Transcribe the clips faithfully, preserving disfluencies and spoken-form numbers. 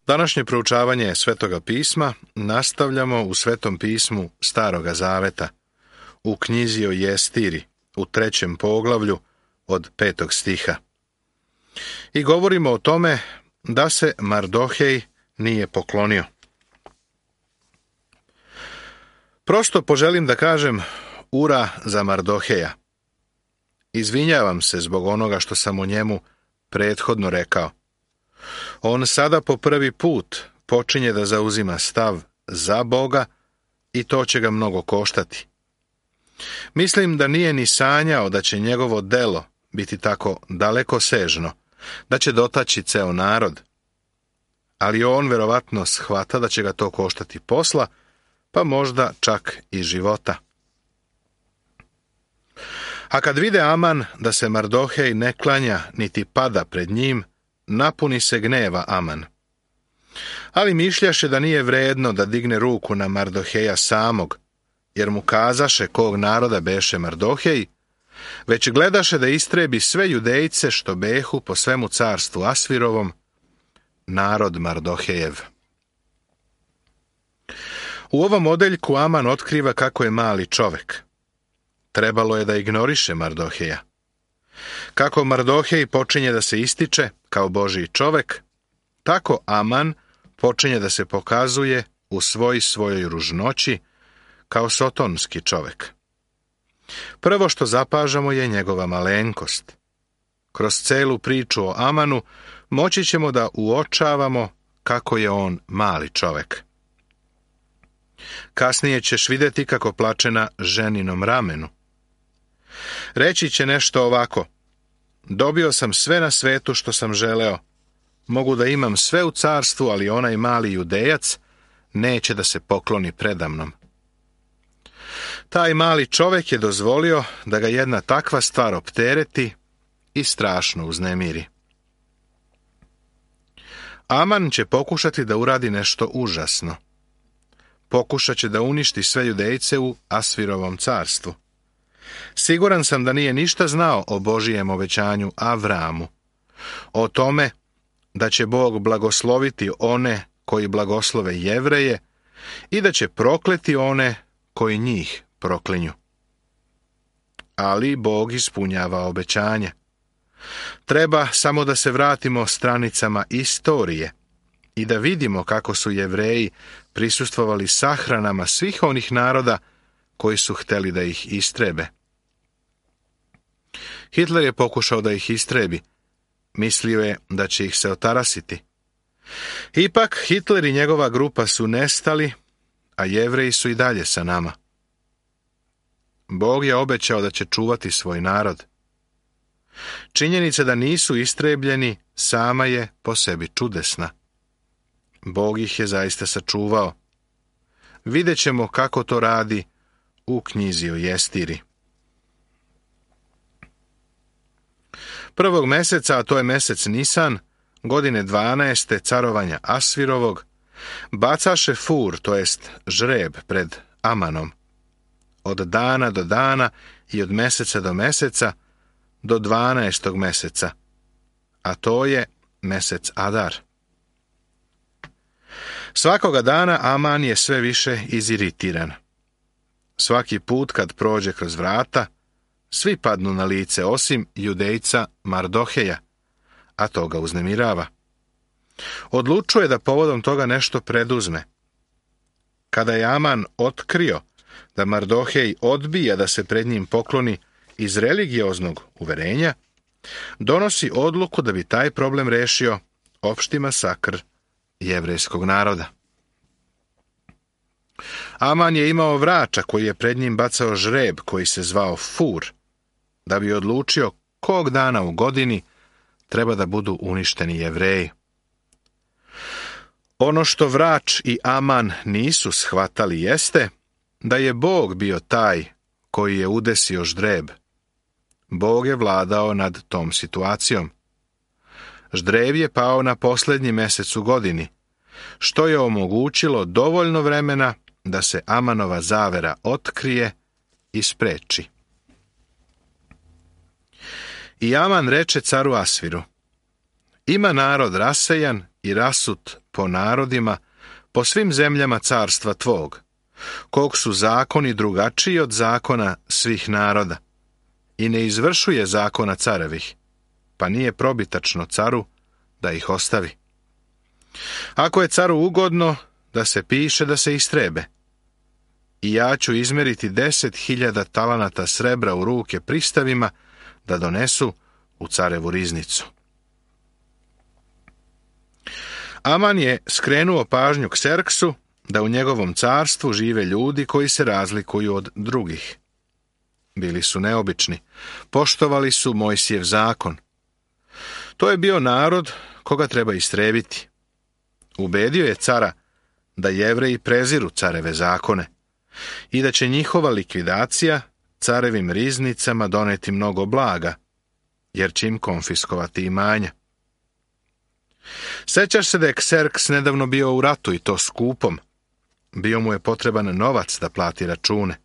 Današnje proučavanje Svetoga pisma nastavljamo u Svetom pismu Staroga zaveta, u knjizi o Jestiri, u trećem poglavlju od petog stiha. I govorimo o tome da se Mardohej nije poklonio. Prosto poželim da kažem ura za Mardoheja. Izvinjavam se zbog onoga što sam o njemu prethodno rekao. On sada po prvi put počinje da zauzima stav za Boga i to će ga mnogo koštati. Mislim da nije ni sanjao da će njegovo delo biti tako dalekosežno, da će dotaći ceo narod. Ali on verovatno shvata da će ga to koštati posla, pa možda čak i života. A kad vide Aman da se Mardohej ne klanja niti pada pred njim, napuni se gneva Aman. Ali mišljaše da nije vredno da digne ruku na Mardoheja samog, jer mu kazaše kog naroda beše Mardohej, već gledaše da istrebi sve Judejce što behu po svemu carstvu Asvirovom, narod Mardohejev. U ovom odeljku Aman otkriva kako je mali čovek. Trebalo je da ignoriše Mardoheja. Kako Mardohej počinje da se ističe kao Božji čovek, tako Aman počinje da se pokazuje u svoj svojoj ružnoći kao sotonski čovek. Prvo što zapažamo je njegova malenkost. Kroz celu priču o Amanu moći ćemo da uočavamo kako je on mali čovek. Kasnije ćeš vidjeti kako plače na ženinom ramenu. Reći će nešto ovako: dobio sam sve na svetu što sam želeo. Mogu da imam sve u carstvu, ali onaj mali Judejac neće da se pokloni predamnom. Taj mali čovek je dozvolio da ga jedna takva stvar optereti i strašno uznemiri. Aman će pokušati da uradi nešto užasno. Pokušat će da uništi sve Judejce u Asvirovom carstvu. Siguran sam da nije ništa znao o Božijem obećanju Avramu, o tome da će Bog blagosloviti one koji blagoslove Jevreje i da će prokleti one koji njih proklinju. Ali Bog ispunjava obećanje. Treba samo da se vratimo stranicama istorije i da vidimo kako su Jevreji prisustvovali sahranama svih onih naroda koji su hteli da ih istrebe. Hitler je pokušao da ih istrebi. Mislio je da će ih se otarasiti. Ipak Hitler i njegova grupa su nestali, a Jevreji su i dalje sa nama. Bog je obećao da će čuvati svoj narod. Činjenica da nisu istrebljeni sama je po sebi čudesna. Bog ih je zaista sačuvao. Vidjet ćemo kako to radi u knjizi o Jestiri. Prvog meseca, a to je mesec Nisan, godine dvanaeste carovanja Asvirovog, bacaše fur, to jest žreb, pred Amanom. Od dana do dana i od meseca do meseca do dvanaestog meseca, a to je mesec Adar. Svakoga dana Aman je sve više iziritiran. Svaki put kad prođe kroz vrata, svi padnu na lice osim Judejca Mardoheja, a to ga uznemirava. Odlučuje da povodom toga nešto preduzme. Kada je Aman otkrio da Mardohej odbija da se pred njim pokloni iz religioznog uverenja, donosi odluku da bi taj problem rešio opšti masakr jevrejskog naroda. Aman je imao vrača koji je pred njim bacao žreb koji se zvao fur, da bi odlučio kog dana u godini treba da budu uništeni Jevreji. Ono što vrač i Aman nisu shvatali jeste da je Bog bio taj koji je udesio ždreb. Bog je vladao nad tom situacijom. Ždreb je pao na posljednji mesec u godini, što je omogućilo dovoljno vremena da se Amanova zavera otkrije i spreči. I Aman reče caru Asviru: ima narod rasejan i rasut po narodima, po svim zemljama carstva tvog, kog su zakoni drugačiji od zakona svih naroda, i ne izvršuje zakona carevih, pa nije probitačno caru da ih ostavi. Ako je caru ugodno, da se piše da se istrebe, i ja ću izmeriti deset hiljada talanata srebra u ruke pristavima da donesu u carevu riznicu. Aman je skrenuo pažnju Kserksu da u njegovom carstvu žive ljudi koji se razlikuju od drugih. Bili su neobični, poštovali su Mojsijev zakon. To je bio narod koga treba istrebiti. Ubedio je cara da Jevreji preziru careve zakone i da će njihova likvidacija carevim riznicama doneti mnogo blaga, jer će im konfiskovati imanja. Sećaš se da je Kserks nedavno bio u ratu i to skupom. Bio mu je potreban novac da plati račune.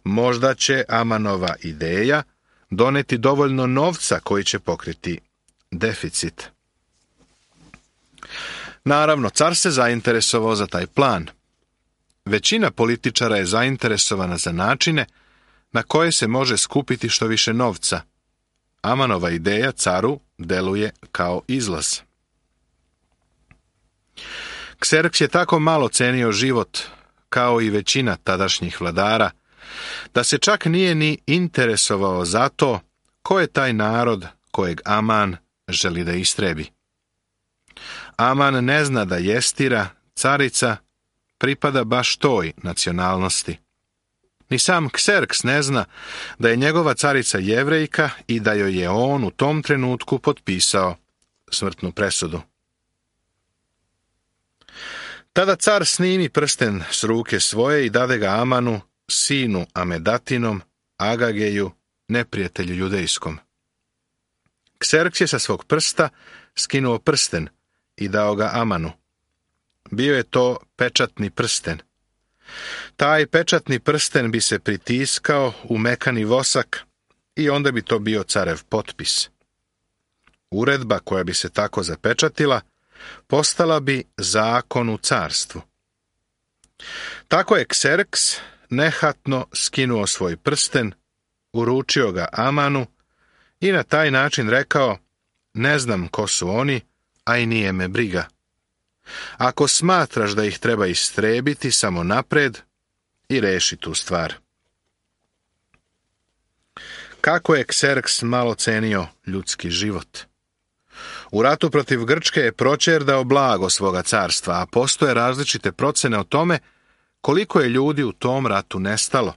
Možda će Amanova ideja doneti dovoljno novca koji će pokriti deficit. Naravno, car se zainteresovao za taj plan. Većina političara je zainteresovana za načine na koje se može skupiti što više novca. Amanova ideja caru deluje kao izlaz. Kserks je tako malo cenio život, kao i većina tadašnjih vladara, da se čak nije ni interesovao za to ko je taj narod kojeg Aman želi da istrebi. Aman ne zna da Jestira, carica, pripada baš toj nacionalnosti. Ni sam Kserks ne zna da je njegova carica Jevrejka i da joj je on u tom trenutku potpisao smrtnu presudu. Tada car snimi prsten s ruke svoje i dade ga Amanu, sinu Amedatinom, Agageju, neprijatelju judejskom. Kserks je sa svog prsta skinuo prsten i dao ga Amanu. Bio je to pečatni prsten. Taj pečatni prsten bi se pritiskao u mekani vosak i onda bi to bio carev potpis. Uredba koja bi se tako zapečatila postala bi zakon u carstvu. Tako je Kserks nehatno skinuo svoj prsten, uručio ga Amanu i na taj način rekao: ne znam ko su oni, a i nije me briga. Ako smatraš da ih treba istrebiti, samo napred i reši tu stvar. Kako je Kserks malo cenio ljudski život. U ratu protiv Grčke je proćerdao blago svoga carstva, a postoje različite procene o tome koliko je ljudi u tom ratu nestalo.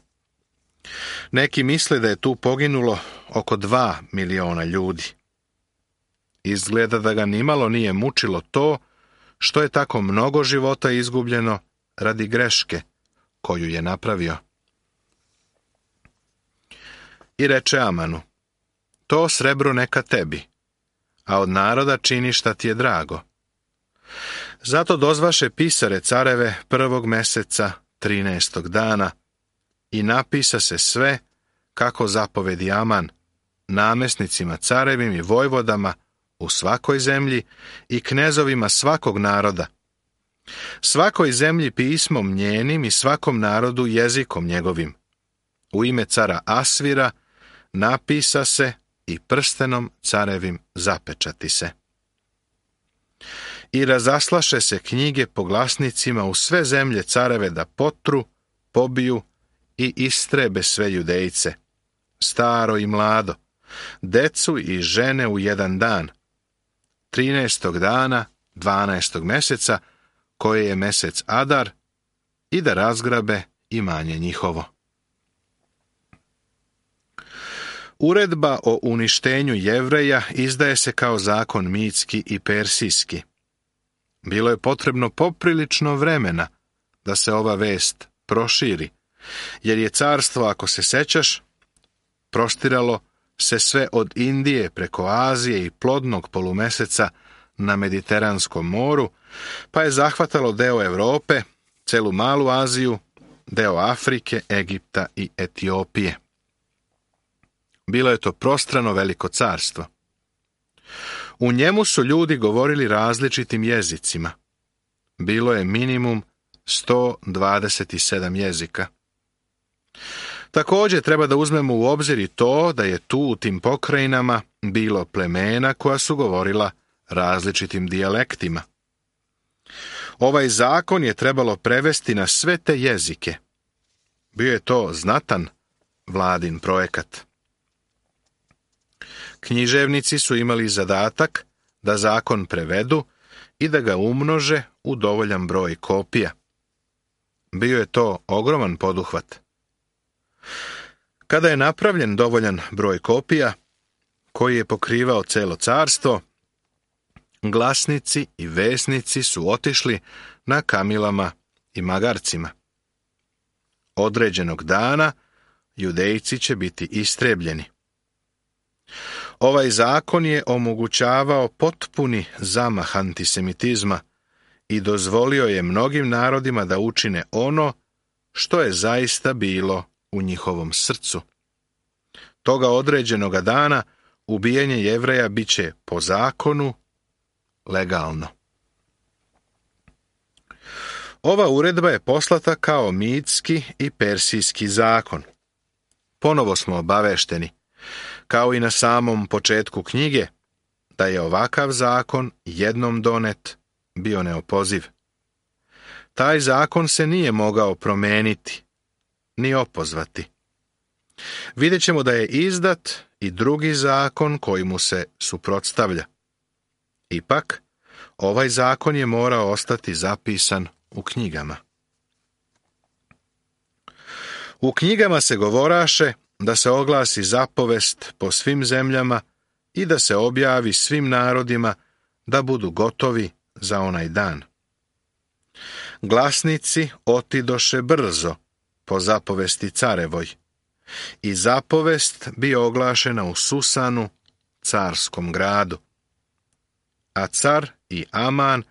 Neki misle da je tu poginulo oko dva miliona ljudi. Izgleda da ga nimalo nije mučilo to što je tako mnogo života izgubljeno radi greške koju je napravio. I reče Amanu: to srebro neka tebi, a od naroda čini šta ti je drago. Zato dozvaše pisare careve prvog meseca, trinaestog dana, i napisa se sve kako zapovedi Aman, namesnicima carevim i vojvodama u svakoj zemlji i knezovima svakog naroda. Svakoj zemlji pismom njenim i svakom narodu jezikom njegovim. U ime cara Asvira napisa se i prstenom carevim zapečati se. I razaslaše se knjige po glasnicima u sve zemlje careve da potru, pobiju i istrebe sve Judejce, staro i mlado, decu i žene u jedan dan, trinaestog dana, dvanaestog meseca, koje je mesec Adar, i da razgrabe imanje njihovo. Uredba o uništenju Jevreja izdaje se kao zakon mitski i persijski. Bilo je potrebno poprilično vremena da se ova vest proširi, jer je carstvo, ako se sećaš, prostiralo se sve od Indije preko Azije i plodnog polumeseca na Mediteranskom moru, pa je zahvatalo deo Europe, celu Malu Aziju, deo Afrike, Egipta i Etiopije. Bilo je to prostrano veliko carstvo. U njemu su ljudi govorili različitim jezicima. Bilo je minimum sto dvadeset sedam jezika. Također treba da uzmemo u obzir i to da je tu u tim pokrajinama bilo plemena koja su govorila različitim dijalektima. Ovaj zakon je trebalo prevesti na sve te jezike. Bio je to znatan vladin projekat. Književnici su imali zadatak da zakon prevedu i da ga umnože u dovoljan broj kopija. Bio je to ogroman poduhvat. Kada je napravljen dovoljan broj kopija, koji je pokrivao celo carstvo, glasnici i vesnici su otišli na kamilama i magarcima. Određenog dana Judejci će biti istrebljeni. Ovaj zakon je omogućavao potpuni zamah antisemitizma i dozvolio je mnogim narodima da učine ono što je zaista bilo u njihovom srcu. Toga određenoga dana ubijanje Jevreja bit će po zakonu legalno. Ova uredba je poslata kao mitski i persijski zakon. Ponovo smo obavešteni, kao i na samom početku knjige, da je ovakav zakon jednom donet bio neopoziv. Taj zakon se nije mogao promeniti, ni opozvati. Vidjet ćemo da je izdat i drugi zakon koji mu se suprotstavlja. Ipak, ovaj zakon je morao ostati zapisan u knjigama. U knjigama se govoraše da se oglasi zapovest po svim zemljama i da se objavi svim narodima da budu gotovi za onaj dan. Glasnici otidoše brzo po zapovesti carevoj i zapovest bi oglašena u Susanu, carskom gradu. A car i Aman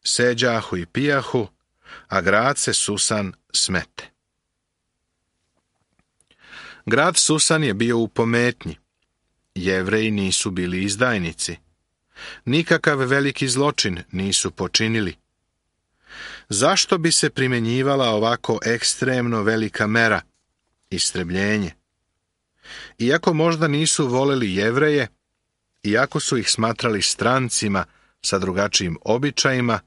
seđahu i pijahu, a grad se Susan smete. Grad Susan je bio u pometnji. Jevreji nisu bili izdajnici. Nikakav veliki zločin nisu počinili. Zašto bi se primjenjivala ovako ekstremno velika mera, istrebljenje? Iako možda nisu voleli Jevreje, iako su ih smatrali strancima sa drugačijim običajima,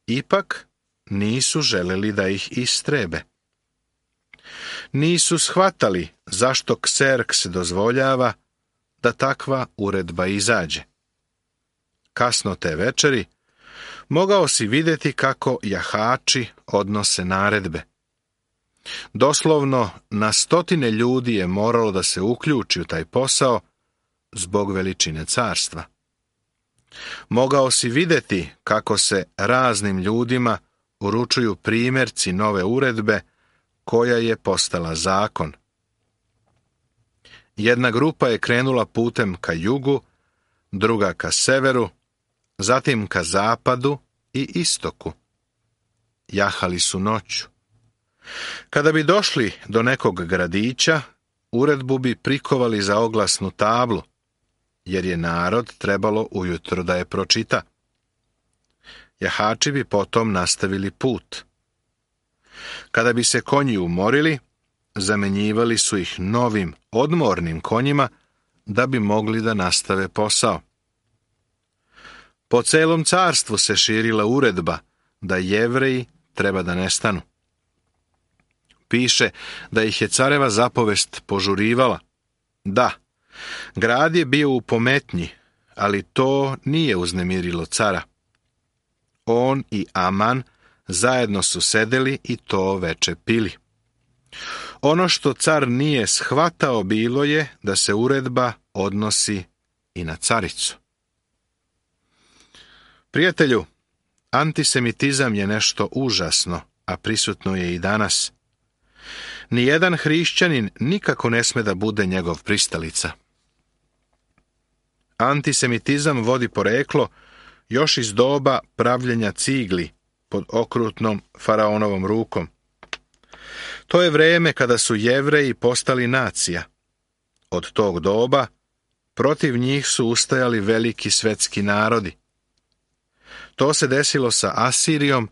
ipak nisu želeli da ih istrebe. Nisu shvatali zašto Kserks dozvoljava da takva uredba izađe. Kasno te večeri mogao si vidjeti kako jahači odnose naredbe. Doslovno na stotine ljudi je moralo da se uključi u taj posao zbog veličine carstva. Mogao si vidjeti kako se raznim ljudima uručuju primjerci nove uredbe koja je postala zakon. Jedna grupa je krenula putem ka jugu, druga ka severu, zatim ka zapadu i istoku. Jahali su noću. Kada bi došli do nekog gradića, uredbu bi prikovali za oglasnu tablu, jer je narod trebalo ujutro da je pročita. Jahači bi potom nastavili put. Kada bi se konji umorili, zamenjivali su ih novim, odmornim konjima da bi mogli da nastave posao. Po celom carstvu se širila uredba da Jevreji treba da nestanu. Piše da ih je careva zapovest požurivala. Da, grad je bio u pometnji, ali to nije uznemirilo cara. On i Aman zajedno su sedeli i to veče pili. Ono što car nije shvatao bilo je da se uredba odnosi i na caricu. Prijatelju, antisemitizam je nešto užasno, a prisutno je i danas. Nijedan hrišćanin nikako ne sme da bude njegov pristalica. Antisemitizam vodi poreklo još iz doba pravljenja cigli pod okrutnom faraonovom rukom. To je vreme kada su Jevreji postali nacija. Od tog doba Protiv njih su ustajali veliki svetski narodi. To se desilo sa Asirijom,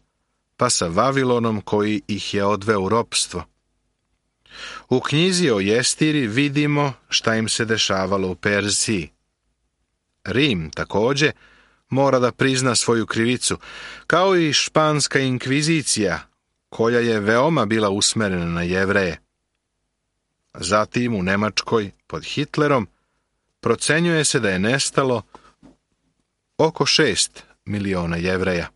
pa sa Vavilonom koji ih je odveo u ropstvo. U knjizi o Jestiri vidimo šta im se dešavalo u Perziji. Rim, također, mora da prizna svoju krivicu, kao i španska inkvizicija, koja je veoma bila usmerena na Jevreje. Zatim u Nemačkoj, pod Hitlerom, procenjuje se da je nestalo oko šest miliona Jevreja.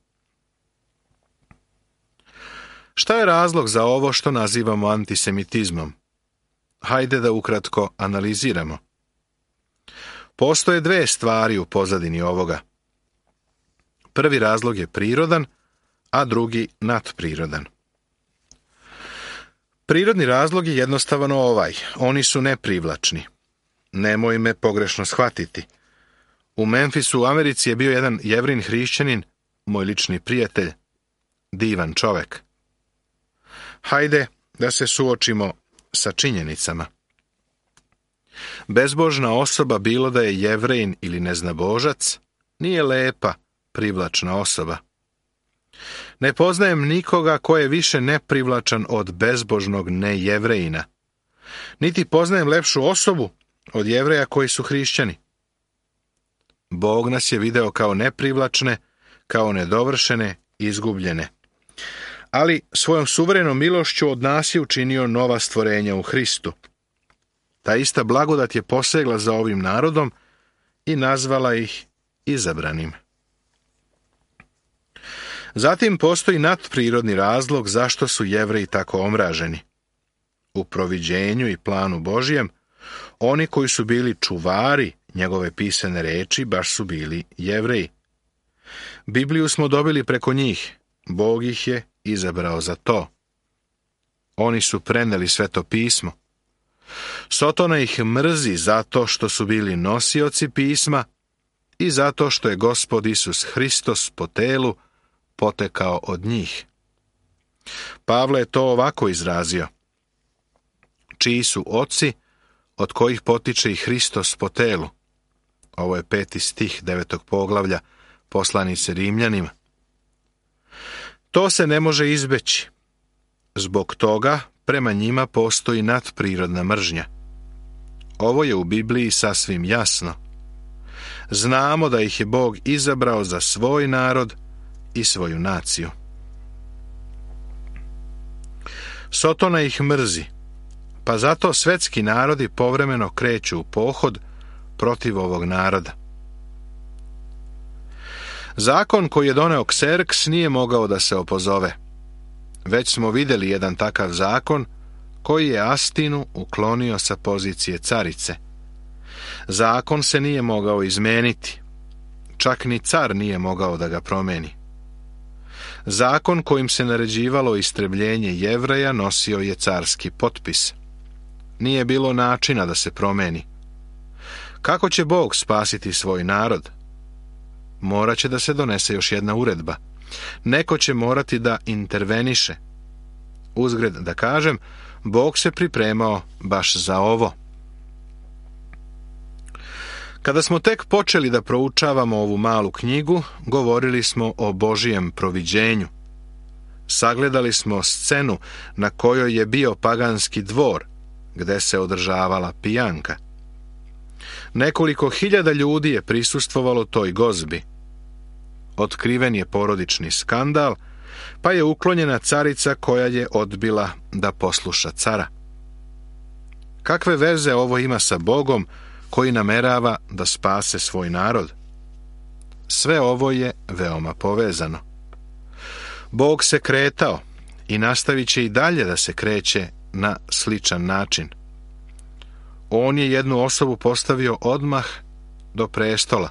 Šta je razlog za ovo što nazivamo antisemitizmom? Hajde da ukratko analiziramo. Postoje dve stvari u pozadini ovoga. Prvi razlog je prirodan, a drugi nadprirodan. Prirodni razlog je jednostavno ovaj. Oni su neprivlačni. Nemoj me pogrešno shvatiti. U Memphisu u Americi je bio jedan Jevrin hrišćanin, moj lični prijatelj, divan čovek. Hajde da se suočimo sa činjenicama. Bezbožna osoba, bilo da je Jevrejin ili neznabožac, nije lepa, privlačna osoba. Ne poznajem nikoga ko je više neprivlačan od bezbožnog nejevrejina. Niti poznajem lepšu osobu od Jevreja koji su hrišćani. Bog nas je video kao neprivlačne, kao nedovršene, izgubljene. Ali svojom suverenom milošću od nas je učinio nova stvorenja u Hristu. Ta ista blagodat je posegla za ovim narodom i nazvala ih izabranim. Zatim postoji nadprirodni razlog zašto su Jevreji tako omraženi. U proviđenju i planu Božijem, oni koji su bili čuvari njegove pisane reči baš su bili Jevreji. Bibliju smo dobili preko njih, Bog ih je izabrao za to. Oni su preneli Sveto pismo. Sotona ih mrzi zato što su bili nosioci pisma i zato što je Gospod Isus Hristos po telu potekao od njih. Pavle je to ovako izrazio. Čiji su oci, od kojih potiče i Hristos po telu. Ovo je peti stih devetog poglavlja poslanice Rimljanima. To se ne može izbeći. Zbog toga prema njima postoji nadprirodna mržnja. Ovo je u Bibliji sasvim jasno. Znamo da ih je Bog izabrao za svoj narod i svoju naciju. Sotona ih mrzi, pa zato svetski narodi povremeno kreću u pohod protiv ovog naroda. Zakon koji je doneo Kserks nije mogao da se opozove. Već smo vidjeli jedan takav zakon koji je Astinu uklonio sa pozicije carice. Zakon se nije mogao izmeniti. Čak ni car nije mogao da ga promeni. Zakon kojim se naređivalo istrebljenje Jevreja nosio je carski potpis. Nije bilo načina da se promeni. Kako će Bog spasiti svoj narod? Morat će da se donese još jedna uredba. Neko će morati da interveniše. Uzgred da kažem, Bog se pripremao baš za ovo. Kada smo tek počeli da proučavamo ovu malu knjigu, govorili smo o Božijem proviđenju. Sagledali smo scenu na kojoj je bio paganski dvor, gde se održavala pijanka. Nekoliko hiljada ljudi je prisustvovalo toj gozbi. Otkriven je porodični skandal, pa je uklonjena carica koja je odbila da posluša cara. Kakve veze ovo ima sa Bogom koji namerava da spase svoj narod? Sve ovo je veoma povezano. Bog se kretao i nastavit će i dalje da se kreće na sličan način. On je jednu osobu postavio odmah do prestola.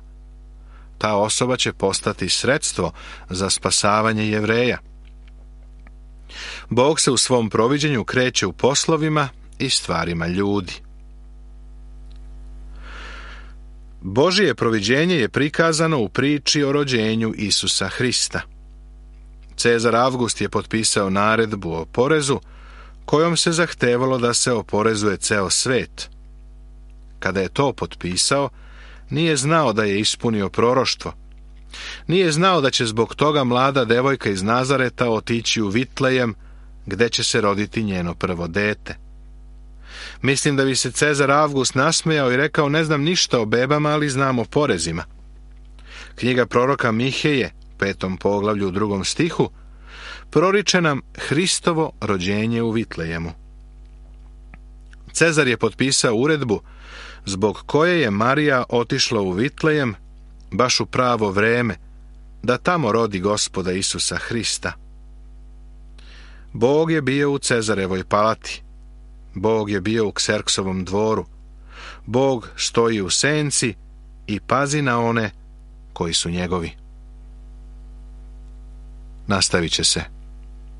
Ta osoba će postati sredstvo za spasavanje Jevreja. Bog se u svom proviđenju kreće u poslovima i stvarima ljudi. Božije proviđenje je prikazano u priči o rođenju Isusa Hrista. Cezar Avgust je potpisao naredbu o porezu, kojom se zahtevalo da se oporezuje ceo svet. Kada je to potpisao, Nije znao da je ispunio proroštvo. Nije znao da će zbog toga mlada devojka iz Nazareta otići u Vitlejem, gde će se roditi njeno prvo dete. Mislim da bi se Cezar Avgust nasmejao i rekao: ne znam ništa o bebama, ali znam o porezima. Knjiga proroka Miheje, petom poglavlju u drugom stihu, proriče nam Hristovo rođenje u Vitlejemu. Cezar je potpisao uredbu zbog koje je Marija otišla u Vitlejem baš u pravo vreme, da tamo rodi Gospoda Isusa Hrista. Bog je bio u Cezarevoj palati. Bog je bio u Kserksovom dvoru. Bog stoji u senci i pazi na one koji su njegovi. Nastavit će se